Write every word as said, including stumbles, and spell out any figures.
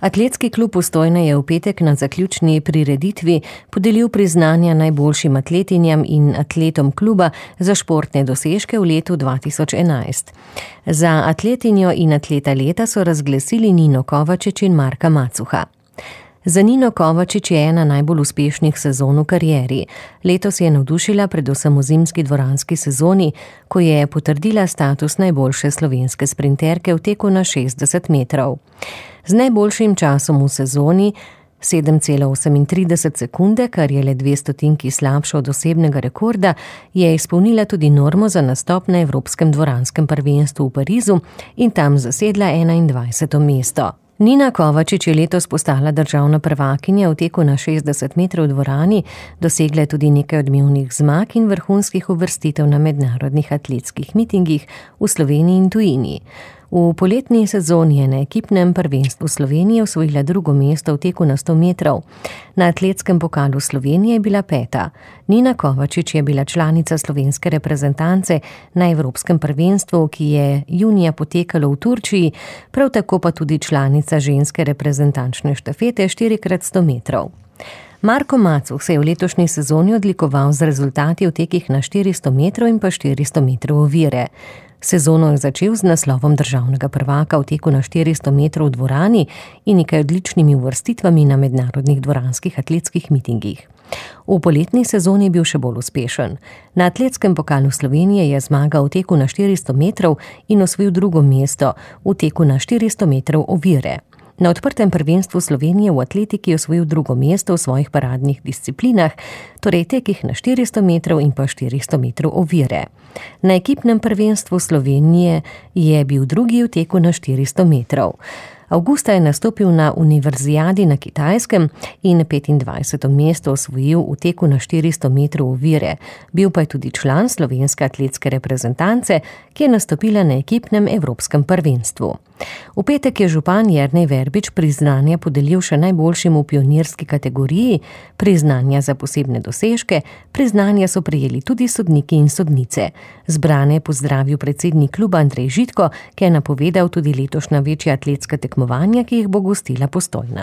Atletski klub Postojna je v petek na zaključni prireditvi podelil priznanja najboljšim atletinjam in atletom kluba za športne dosežke v letu dva tisoč enajst. Za atletinjo in atleta leta so razglasili Nino Kovačič in Marka Macuha. Za Nino Kovačič je ena najbolj uspešnih sezon v karieri. Letos je navdušila predvsem v zimski dvoranski sezoni, ko je potrdila status najboljše slovenske sprinterke v teku na šestdeset metrov. Z najboljšim časom v sezoni sedem cela osemintrideset sekunde, kar je le dve stotinki slabše od osebnega rekorda, je izpolnila tudi normo za nastop na Evropskem dvoranskem prvenstvu v Parizu in tam zasedla enaindvajseto mesto. Nina Kovačič je letos postala državna prvakinja v teku na šestdeset metrov v dvorani, dosegla je tudi nekaj odmevnih zmag in vrhunskih uvrstitev na mednarodnih atletskih mitingih v Sloveniji in tujini. V poletni sezoni je na ekipnem prvenstvu Slovenije osvojila drugo mesto v teku na sto metrov. Na atletskem pokalu Slovenije je bila peta. Nina Kovačič je bila članica slovenske reprezentance na Evropskem prvenstvu, ki je junija potekalo v Turčiji, prav tako pa tudi članica ženske reprezentančne štafete štiri krat sto metrov. Marko Macuh se je v letošnji sezoni odlikoval z rezultati v tekih na štiristo metrov in pa štiristo metrov ovire. Sezono je začel z naslovom državnega prvaka v teku na štiristo metrov v dvorani in nekaj odličnimi uvrstitvami na mednarodnih dvoranskih atletskih mitingih. V poletni sezoni je bil še bolj uspešen. Na atletskem pokalu Slovenije je zmagal v teku na štiristo metrov in osvojil drugo mesto v teku na štiristo metrov ovire. Na odprtem prvenstvu Slovenije v atletiki je osvojil drugo mesto v svojih paradnih disciplinah, torej tekih na štiristo metrov in pa štiristo metrov ovire. Na ekipnem prvenstvu Slovenije je bil drugi v teku na štiristo metrov. Avgusta je nastopil na univerzijadi na Kitajskem in petindvajseto mesto osvojil v teku na štiristo metrov ovire. Bil pa je tudi član slovenske atletske reprezentance, ki je nastopila na ekipnem evropskem prvenstvu. V petek je župan Jernej Verbič priznanja podelil še najboljšim v pionirski kategoriji, priznanja za posebne dosežke, priznanja so prejeli tudi sodniki in sodnice. Zbrane je pozdravil predsednik kluba Andrej Žitko, ki je napovedal tudi letošnja večja atletska tekmovanja, ki jih bo gostila Postojna.